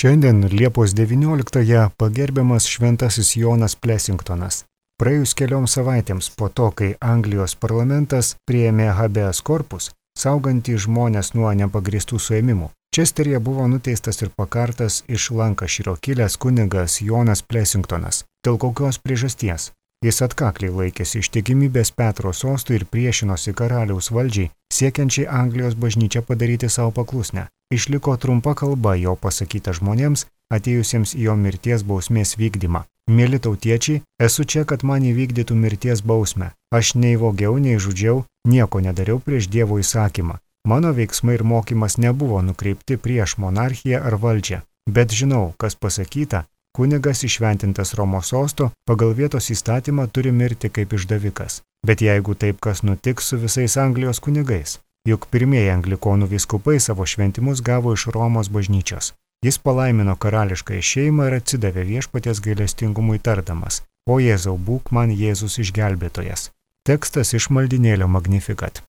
Šiandien Liepos 19-ąją pagerbiamas šventasis Jonas Plessingtonas. Praėjus kelioms savaitėms po to, kai Anglijos parlamentas priėmė habeas corpus, saugantį žmonės nuo nepagristų suėmimų, Česteryje buvo nuteistas ir pakartas iš Lankašyro kilęs kunigas Jonas Plessingtonas. Dėl kokios priežasties? Jis atkakliai laikėsi ištikimybės Petro sostui ir priešinosi karaliaus valdžiai, siekiančiai Anglijos bažnyčią padaryti savo paklusnę. Išliko trumpa kalba jo pasakyta žmonėms, atėjusiems į jo mirties bausmės vykdymą. Mieli tautiečiai, esu čia, kad man įvykdytų mirties bausmę. Aš nei vogiau, nei žudžiau, nieko nedariau prieš Dievo įsakymą. Mano veiksmai ir mokymas nebuvo nukreipti prieš monarchiją ar valdžią. Bet žinau, kas pasakyta, kunigas įšventintas Romos sosto pagal vietos įstatymą turi mirti kaip išdavikas. Bet jeigu taip kas nutiks su visais Anglijos kunigais, juk pirmieji anglikonų vyskupai savo šventimus gavo iš Romos bažnyčios. Jis palaimino karališkąją šeimą ir atsidavė viešpaties gailestingumui tardamas: O Jėzau, būk man Jėzus išgelbėtojas. Tekstas iš maldynėlio Magnificat.